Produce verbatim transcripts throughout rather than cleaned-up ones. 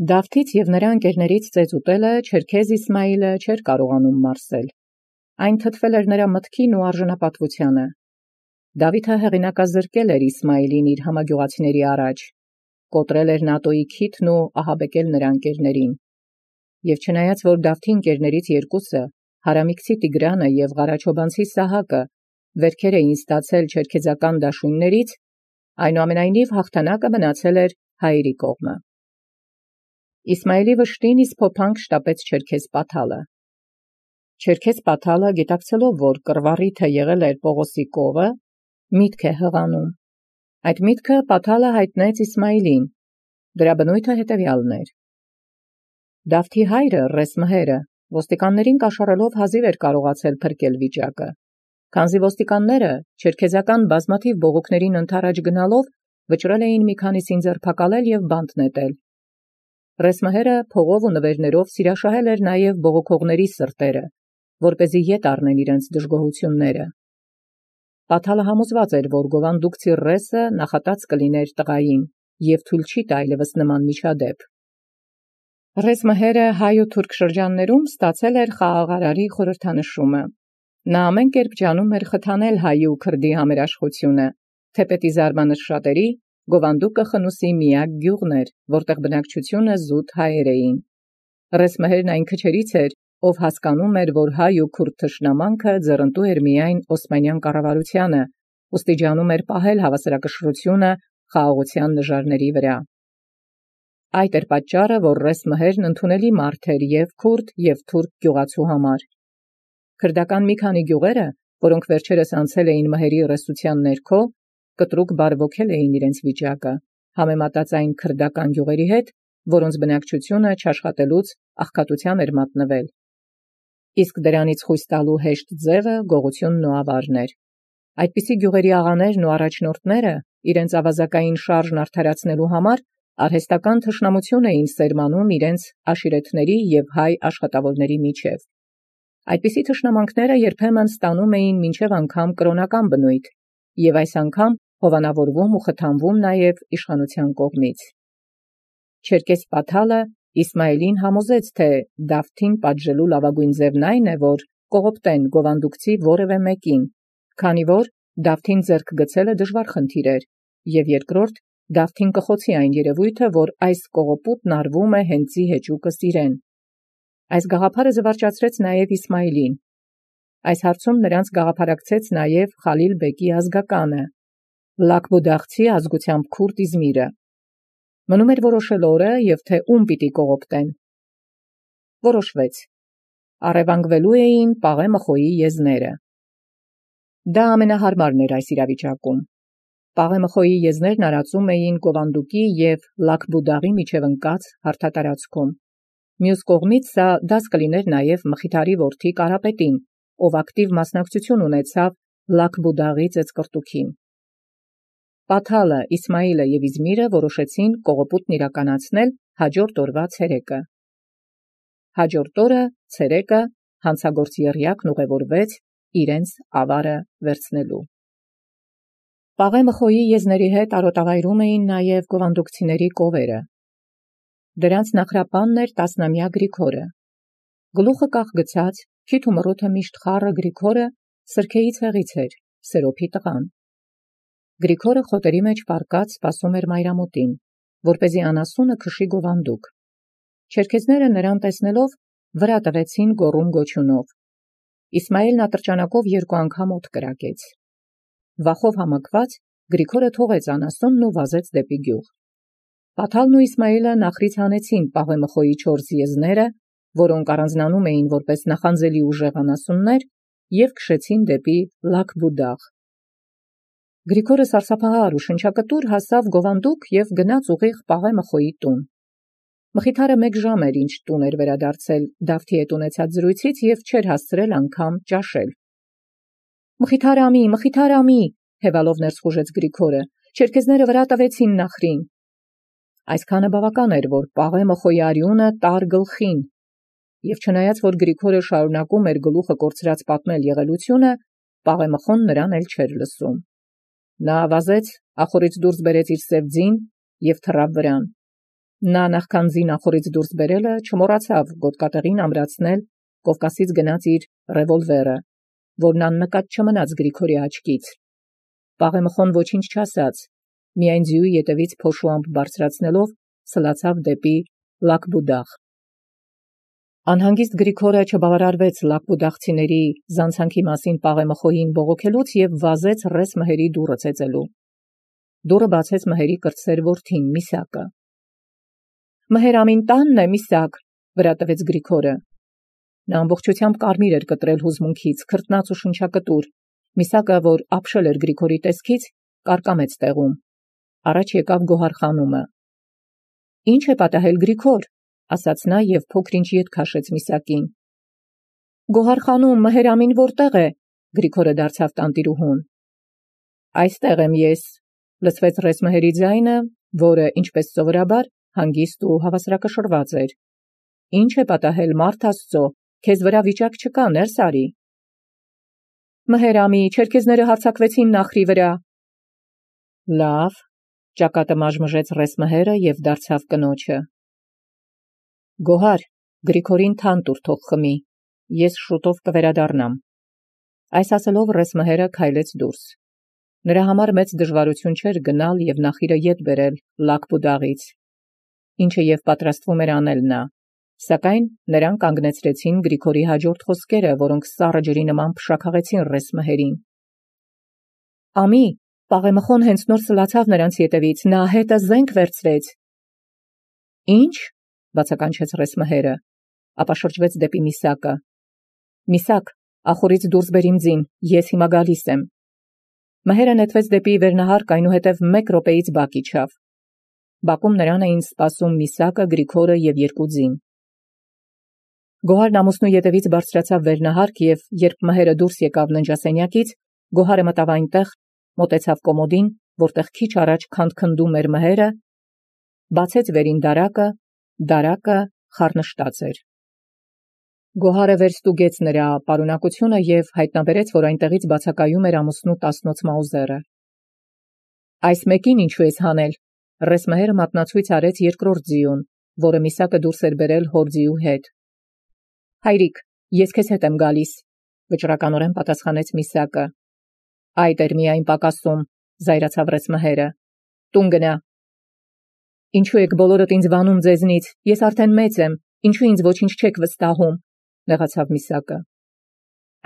Դավթից և նրա ընկերներից ծեծուտելը Չերքեզ Իսմայիլը չէր կարողանում մարսել. այն թթվել էր նրա մտքին ու արժանապատվությանը։ Դավիթը հեղինակազրկել էր Իսմայիլին իր համագյուղացիների առաջ, կոտրել էր Նատոյի քիթն ու ահաբեկել նրա ընկերներին։ Եվ չնայած որ Դավթի ընկերներից երկուսը, Հարամիկցի Տիգրանը և Ղարաչոբանցի Սահակը, վերքեր էին ստացել չերքեզական դաշույններից, այնուամենայնիվ հաղթանակը մնացել էր հայերի կողմը։ Իսմայիլի վշտին իսկ փոփանք շտապեց Չերքեզ Պաթալը։ Չերքեզ Պաթալը, գիտակցելով, որ կռվառիթը եղել էր Պողոսի կովը, միտք է հղանում։ Այդ միտքը Պաթալը հայտնեց Իսմայիլին, դրա բնույթը հետևյալն էր. Դավթի հայրը Ռեսմհերը ոստիկաններին կաշառելով հազիվ էր կարողացել փրկել վիճակը, քանզի ոստիկանները չերքեզական բազմաթիվ բողոքներին ընդառաջ գնալով վճռել էին մի քանիսին ձերբակալել և բանտ նետել։ Ռեսմհերը փողով ու նվերներով սիրաշահել էր նաև բողոքողների սրտերը, որպեսզի ետ առնեն իրենց դժգոհությունները։ Պաթալը համոզված էր, որ գովանդուկցի Ռեսը նախատած կլիներ տղային և թույլ չի տա այլևս նման միջադեպ։ Ռեսմհերը հայ ու թուրք շրջաններում ստացել էր խաղաղարարի խորհրդանշումը։ Նա ամեն կերպ ջանում էր խթանել հայի ու քրդի համերաշխությունը, թեպետի զարմանս շատերի, Գովանդուկը Խնուսի միակ գյուղն էր, որտեղ բնակչությունը զուտ հայեր էին։ Ռեսմհերն այն քչերից էր, ով հասկանում էր, որ հայ ու քուրդ թշնամանքը ձեռնտու էր միայն Օսմանյան կառավարությանը, ուստի ջանում էր պահել հավասարակշռությունը խաղաղության նժարների վրա։ Այդ էր պատճառը, որ Ռեսմհերն ընդունելի մարդ էր և քուրդ, և թուրք գյուղացու համար։ Քրդական մի քանի գյուղերը, որոնք վերջերս անցել էին մհերի ռեսության ներքո, կտրուկ բարվոքել էին իրենց վիճակը, համեմատած այն քրդական գյուղերի հետ, որոնց բնակչությունը չաշխատելուց աղքատության էր մատնվել։ Իսկ դրանից խույս տալու հեշտ ձևը գողությունն ու ավարն էր։ Այդպիսի գյուղերի աղաներն ու առաջնորդները իրենց ավազակային շարժն արդարացնելու համար արհեստական թշնամություն էին սերմանում իրենց աշիրեթների և հայ աշխատավորների միջև։ Այդպիսի թշնամանքները երբեմն ստանում էին մինչև անգամ կրոնական բնույթ և այս անգամ հովանավորվում ու խթանվում նաև իշխանության կողմից։ Չերքեզ Պաթալը Իսմայիլին համոզեց, թե Դավթին պատժելու լավագույն ձևն այն է, որ կողոպտեն գովանդուկցի որևէ մեկին, քանի որ Դավթին ձեռք գցելը դժվար խնդիր էր, և երկրորդ Դավթին կխոցի այն երևույթը, որ այս կողոպուտն արվում է հենծի հեճուկս իրեն։ Այս գաղափարը զվարճացրեց նաև Իսմայիլին։ Այս հարցում նրանց գաղափարակցեց նաև Խալիլ բեկի ազգականը, Լաքբուդաղցի ազգությամբ քուրդ Իզմիրը։ Մնում էր որոշել օրը և թե ում պիտի կողոպտեն։ Որոշվեց։ Առևանգվելու էին Պաղե Մխոյի եզները։ Դա ամենահարմարն էր այս իրավիճակում։ Պաղե Մխոյի եզներն արածում էին Գովանդուկի և Լաքբուդաղի միջև ընկած հարթատարածքում։ Մյուս կողմից սա դաս կլիներ նաև Մխիթարի որդի Կարապետին, ով ակտիվ մասնակցություն ունեցավ Լաքբուդաղի ծեծկռտուքին։ Պաթալը, Իսմայիլը և Իզմիրը որոշեցին կողոպուտն իրականացնել հաջորդ օրվա ցերեկը։ Հաջորդ օրը ցերեկը հանցագործ եռյակն ուղևորվեց իրենց ավարը վերցնելու։ Պաղե Մխոյի եզների հետ արոտավայրում էին նաև գովանդուկցիների կովերը։ Դրանց նախրապանն էր տասնամյա Գրիգորը։ Գլուխը կախ գցած, քիթ ու մռութը միշտ խառը Գրիգորը սրքեի ցեղից էր, Սերոփի տղան։ Գրիգորը խոտերի մեջ պառկած սպասում էր մայրամուտին, որպեսզի անասունը քշի գովանդուկ։ Չերքեզները նրան տեսնելով վրա տվեցին գոռում գոչյունով։ Իսմայիլն ատրճանակով երկու անգամ օդ կրակեց։ Վախով համակված Գրիգորը թողեց անասունն ու վազեց դեպի գյուղ։ Պաթալն ու Իսմայիլը նախրից հանեցին Պաղե Մխոյի չորս եզները, որոնք առանձնանում էին որպես նախանձելի ուժեղ անասուններ, և քշեցին դեպի Լաքբուդաղ։ Գրիգորը սարսափահար ու շնչակտուր հասավ գովանդուկ և գնաց ուղիղ Պաղե Մխոյի տուն։ Մխիթարը մեկ ժամ էր, ինչ տուն էր վերադարձել Դավթի հետ ունեցած զրույցից և չէր հասցրել անգամ ճաշել։ Մխիթար ամի, Մխիթար ամի, հևալով ներս խուժեց Գրիգորը, չերքեզները վրա տվեցին նախրին։ Այսքանը բավական էր, որ Պաղե Մխոյի արյունը տար գլխին, և չնայած որ Գրիգորը շարունակում էր գլուխը կորցրած պատմել եղելությունը, Պաղե Մխոն նրան էլ չէր լսում։ Նա վազեց, ախորից դուրս բերեց իր սև ձին և թռավ վրան։ Նա նախքան զինախորից դուրս բերելը չմոռացավ գոտկատեղին ամրացնել Կովկասից գնաց իր ռևոլվերը, որն աննկատ չմնաց Գրիգորի աչքից։ Պաղեմխոն ոչինչ չասաց, միայն ձիուի ետևից փոշուամբ բարձրացնելով սլացավ դեպի Լակբուդաղ։ Անհանգիստ Գրիգորը չբավարարվեց լակբուդաղցիների զանցանքի մասին Պաղեմխոյին բողոքելուց և վազեց ռես մհերի դուռը ծեծելու։ Դուռը բացեց մհերի կրտսեր որդին Միսակը։ Մհեր ամին տանն է, Միսակ, վրա տվեց Գրիգորը։ Նա ամբողջությամբ կարմիր էր կտրել հուզմունքից, քրտնած ու շնչակտուր։ Միսակը, որ ապշել էր Գրիգորի տեսքից, կարկամեց տեղում։ Առաջ եկավ Գոհարխանումը։ Ինչ է պատահել, Գրիգոր, ասաց նա և փոքր-ինչ ետ քաշեց Միսակին։ Գոհարխանում մհեր ամին որտեղ է, Գրիգորը դարձավ տանտիրուհուն։ Այստեղ եմ ես, լսվեց ռես մհերի ձայնը, որը, ինչպես սովորաբար, հանգիստ ու հավասարակշռված էր։ Ինչ է պատահել, մարդ Աստծո, քեզ վրա վիճակ չկա, ներս արի։ Մհեր ամի, չերքեզները հարձակվեցին Նախրի վրա։ Լավ, ճակատը մաժմժեց ռես մհերը և դարձավ կնոջը։ Գոհար, Գրիգորին թան տուր թող խմի, ես շուտով կվերադառնամ։ Այս ասելով ռես մհերը քայլեց դուրս։ Նրա համար մեծ դժվարություն չէր գնալ և նախիրը ետ բերել Լակբուդաղից, ինչը և պատրաստվում էր անել նա, սակայն նրան կանգնեցրեցին Գրիգորի հաջորդ խոսքերը, որոնք սառը ջրի նման փշաքաղեցին ռես մհերին։ Ամի, Պաղեմխոն հենց նոր սլացավ նրանց ետևից, նա հետը զենք վերցրեց։ Ինչ, բացականչեց ռես մհերը, ապա շրջվեց դեպի Միսակը։ Միսակ, ախորից դուրս բեր իմ ձին, ես հիմա գալիս եմ։ Մհերը նետվեց դեպի վերնահարկ, այնուհետև մեկ րոպեից բակ իջավ։ Բակում նրան էին սպասում Միսակը, Գրիգորը և երկու ձին։ Գոհարն ամուսնու ետևից բարձրացավ վերնահարկ և երբ մհերը դուրս եկավ ննջասենյակից, Գոհարը մտավ այնտեղ, մոտեցավ կոմոդին, որտեղ քիչ առաջ քանդքնդում էր մհերը, բացեց վերին դարակը, դարակը խառնշտած էր։ Գոհարը վերստուգեց նրա պարունակությունը և հայտնաբերեց, որ այնտեղից բացակայում էր ամուսնու տասնոց մաուզերը։ Այս մեկին ինչու ես հանել, ռես մհերը մատնացույց արեց երկրորդ ձիուն, որը Միսակը դուրս էր բերել հոր ձիու հետ։ Հայրիկ, ես քեզ հետ եմ գալիս, վճռականորեն պատասխանեց Միսակը։ Այդ էր միայն պակասում, զայրացավ ռես մհերը։ Տուն գնա։ Ինչու եք բոլորդ ինձ վանում ձեզնից, ես արդեն մեծ եմ, ինչու ինձ ոչինչ չեք վստահում, նեղացավ Միսակը։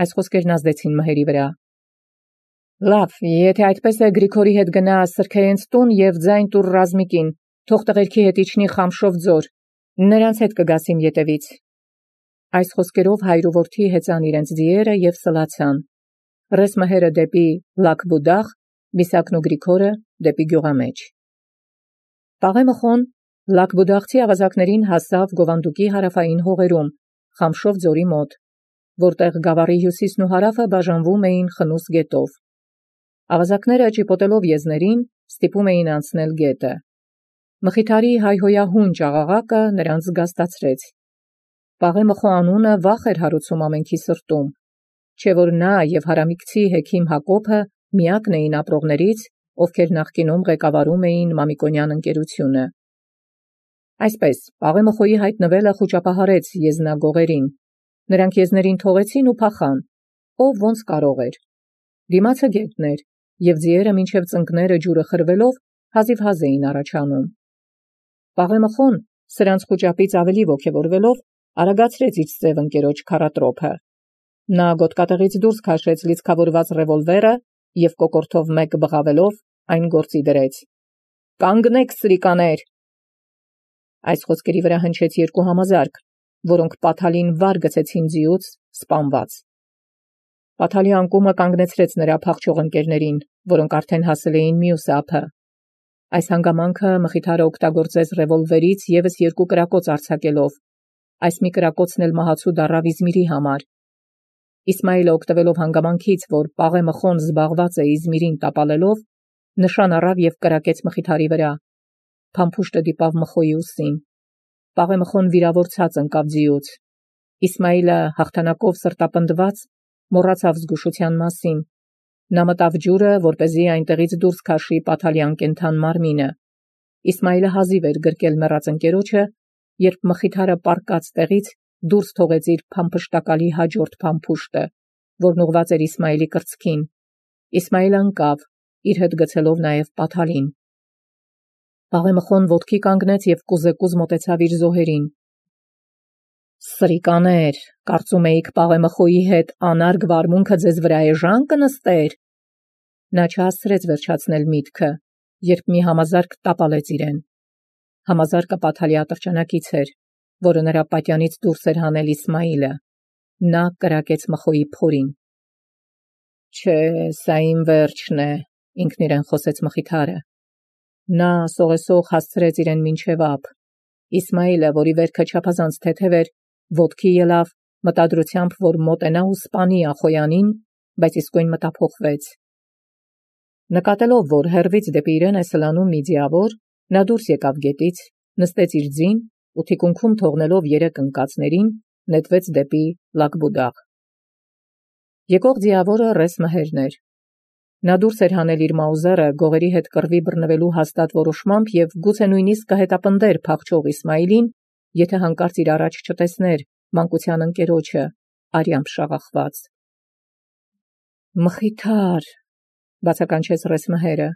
Այս խոսքերն ազդեցին մհերի վրա։ Լավ, եթե այդպես է, Գրիգորի հետ գնա սրքեյենց տուն և ձայն տուր Ռազմիկին, թող տղերքի հետ իջնի Խամշով ձոր, նրանց հետ կգաս իմ ետևից։ Այս խոսքերով հայր ու որդի հեծան իրենց ձիերը և սլացան։ Ռես մհերը դեպի Լակբուդաղ, Միսակն ու Գրիգորը դեպի գյուղամեջ։ Պաղեմխոն Լակբուդաղցի ավազակներին հասավ Գովանդուկի հարավային հողերում, Խամշով ձորի մոտ, որտեղ գավառի հյուսիսն ու հարավը բաժանվում էին խնուս գետով։ Ավազակները ճիպոտելով եզներին ստիպում էին անցնել գետը։ Մխիթարի հայհոյահուն ճաղաղակը նրանց զգաստացրեց։ Պաղեմխո անունը վախ էր հարուցում ամենքի սրտում, չէ որ նա և հարամիկցի հեքիմ Հակոբը միակն էին ապրողներից, ովքեր նախկինում ղեկավարում էին Մամիկոնյան ընկերությունը։ Այսպես, Պաղեմխոյի հայտնվելը խուճապահարեց եզնագողերին։ Նրանք եզներին թողեցին ու փախան, ով ոնց կարող էր։ Դիմացը գետն էր, և ձիերը մինչև ծնկները ջուրը խրվելով հազիվհազ էին առաջանում։ Պաղեմխոն, սրանց խուճապից ավելի ոգևորվելով, արագացրեց իր սև ընկերոջ քառատրոփը։ Նա գոտկատեղից դուրս քաշեց լիցքավորված ռևոլվերը և կոկորդով մեկ բղավելով այն գործի դրեց։ Կանգնեք, սրիկաներ։ Այս խոսքերի վրա հնչեց երկու համազարկ, որոնք Պաթալին վար գցեցին ձիուց սպանված։ Պաթալի անկումը կանգնեցրեց նրա փախչող ընկերներին, որոնք արդեն հասել էին մյուս ափը։ Այս հանգամանքը Մխիթարը օգտագործեց ռևոլվերից ևս երկու կրակոց արձակելով, այս մի կրակոցն էլ մահացու դառավ Իզմիրի համար։ Իսմայիլը օգտվելով հանգամանքից, որ Պաղեմխոն զբաղված է Իզմիրին տապալելով, նշան առավ և կրակեց Մխիթարի վրա։ Փամփուշտը դիպավ Մխոյի ուսին։ Պաղեմխոն վիրավոր ցած ընկավ ձիուց։ Իսմայիլը հաղթանակով սրտապնդված մոռացավ զգուշության մասին։ Նա մտավ ջուրը, որպեսզի այնտեղից դուրս քաշի Պաթալի անկենդան մարմինը։ Իսմայիլը հազիվ էր գրկել մեռած ընկերոջը, երբ մխիթարը պառկած տեղից դուրս թողեց իր փամփշտակալի հաջորդ փամփուշտը, որն ուղված էր Իսմայիլի կրծքին։ Իսմայիլը ընկավ, իր հետ գցելով նաև Պաթալին։ Պաղեմխոն ոտքի կանգնեց և կուզեկուզ մոտեցավ իր զոհերին։ Սրիկաներ, կարծում էիք Պաղեմխոյի հետ անարգ վարմունքը ձեզ վրա էժան կնստեր։ Նա չհասցրեց վերջացնել միտքը, երբ մի համազարկ տապալեց իրեն։ Համազարկը Պաթալի ատրճանակից էր, որը նրա պատյանից դուրս էր հանել Իսմայիլը։ Նա կրակեց Մխոյի փորին։ Չէ, սա իմ վերջն է, ինքն իրեն խոսեց մխիթարը։ Նա սողեսող հասցրեց իրեն մինչև ափ։ Իսմայիլը, որի վերքը չափազանց թեթև էր, ոտքի ելավ, մտադրությամբ, որ մոտենա ու սպանի Ախոյանին, բայց իսկույն մտափոխվեց։ Նկատելով, որ հեռվից դեպի իրեն է սլանում մի ձիավոր, նա դուրս եկավ գետից, նստեց իր ձին ու թիկունքում թողնելով երեք ընկածներին, նետվեց դեպի Լակբուդաղ։ Եկող ձիավորը Ռես Մհերն էր։ Նա դուրս էր հանել իր մաուզերը գողերի հետ կռվի բռնվելու հաստատ որոշմամբ և գուցե նույնիսկ կհետապնդեր փախչող Իսմայիլին, եթե հանկարծ իր առաջ չտեսներ մանկության ընկերոջը, արյամբ շաղախված։ Մխիթար, բացականչեց Ռես Մհերը։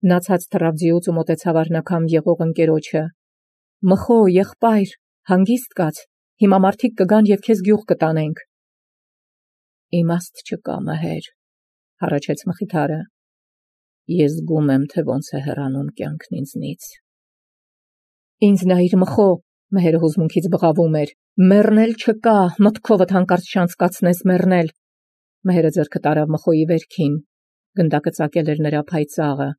Նա ցած թռավ ձիուց ու մոտեցավ առնաքամ եղող ընկերոջը։ Մխո, եղբայր, հանգիստ կաց, հիմա մարդիկ կգան և քեզ գյուղ կտանենք։ Իմաստ չկա, Մհեր, հառաչեց մխիթարը։ Ես զգում եմ, թե ոնց է հեռանում կյանքն ինձնից։ Ինձ նայիր, Մխո, Մհերը հուզմունքից բղավում էր։ Մեռնել չկա, մտքովդ հանկարծ չանցկացնես մեռնել։ Մհերը ձեռքը տարավ Մխոյի վերքին։ Գնդակը ծակել էր նրա փայծաղը,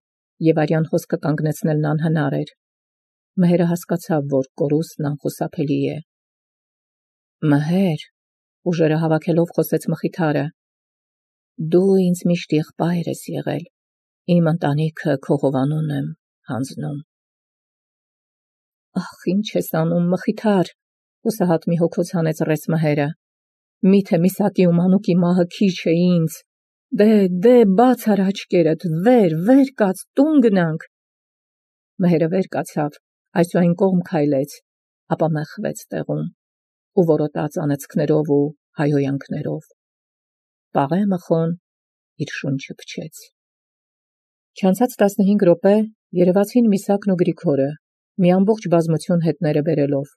և արյան խոսքը կանգնեցնելն անհնար էր։ Մհերը հասկացավ, որ կորուստն անխուսափելի է։ Մհեր, ուժերը հավաքելով խոսեց մխիթարը, դու ինձ միշտ եղբայր ես եղել, իմ ընտանիքը քո հովանուն եմ հանձնում։ Ախ, ինչ ես անում, մխիթար, հուսահատ մի հոգոց հանեց Ռես Մհերը։ Միթե Միսակի ու Մանուկի մահը քիչ է ինձ։ Դե, դե, բաց արա աչքերդ, վեր, վեր կաց, տուն գնանք։ Մհերը վեր կացավ, այսուայն կողմ քայլեց, ապա մեղվեց տեղում ու որոտաց անեծքներով ու հայհոյանքներով։ Պաղեմխոն իր շունչը փչեց։ Չանցած տասնհինգ րոպե երևացին Միսակն ու Գրիգորը, մի ամբողջ բազմություն հետները բերելով։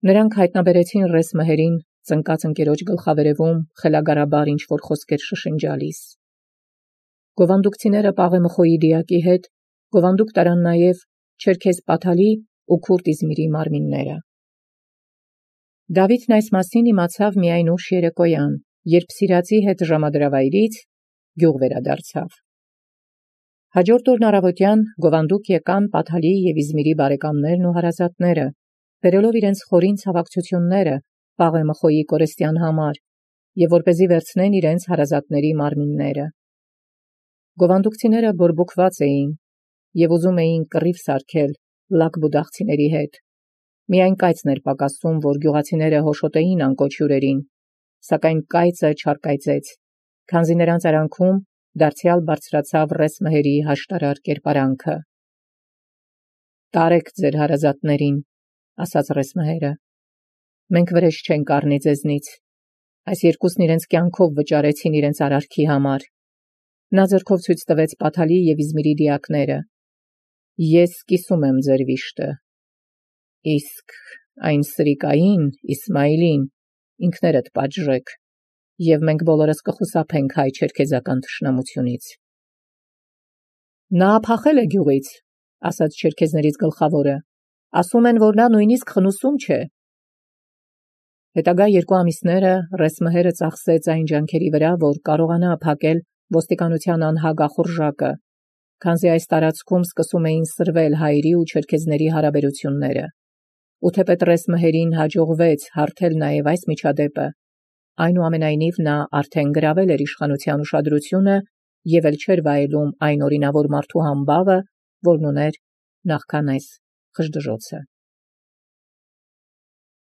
Նրանք հայտնաբերեցին Ռես Մհերին ծնկած ընկերոջ գլխավերևում խելագարաբար ինչ-որ խոսքեր շշնջալիս։ Գովանդուկցիները Պաղեմխոյի դիակի հետ գովանդուկ տարան նաև Չերքեզ Պաթալի ու Քուրդ Իզմիրի մարմինները։ Դավիթն այս մասին իմացավ միայն ուշ երեկոյան, երբ սիրածի հետ ժամադրավայրից գյուղ վերադարձավ։ Հաջորդ օրն առավոտյան գովանդուկ եկան Պաթալի և Իզմիրի բարեկամներն ու հարազատները, բերելով իրենց խորին ցավակցությունները Պաղեմխոյի կորեստյան համար և որպեսզի վերցնեն իրենց հարազատների մարմինները։ Գովանդուկցիները բորբոքված էին և ուզում էին կռիվ սարքել լակբուդաղցիների հետ։ Միայն կայծն էր պակասում, որ գյուղացիները հոշոտեին անկոչ հյուրերին, սակայն կայծը չարկայծեց, քանզի նրանց արանքում դարձյալ բարձրացավ Ռես Մհերի հաշտարար կերպարանքը։ Տարեք ձեր հարազատներին, ասաց Ռես Մհերը, մենք վրեժ չենք առնի ձեզնից, այս երկուսն իրենց կյանքով վճարեցին իրենց արարքի համար։ Նա ձեռքով ցույց տվեց Պաթալի և Իզմիրի դիակները։ Ես կիսում եմ ձեր վիշտը, իսկ այն սրիկային Իսմայիլին ինքներդ պատժեք, և մենք բոլորս կխուսափենք հայ չերքեզական թշնամությունից։ Նա փախել է գյուղից, ասաց չերքեզներից գլխավորը, ասում են, որ նա նույնիսկ խնուսում չէ։ Հետագա երկու ամիսները Ռես Մհերը ծախսեց այն ջանքերի վրա, որ կարողանա փակել ոստիկանության անհագ ախորժակը, քանզի այս տարածքում սկսում էին սրվել հայերի ու չերքեզների հարաբերությունները։ Ու թեպետ Ռես Մհերին հաջողվեց հարթել նաև այս միջադեպը, այնուամենայնիվ նա արդեն գրավել էր իշխանության ուշադրությունը և էլ չէր վայելում այն օրինավոր մարդու համբավը, որն ուներ նախքան այս խժդժոցը։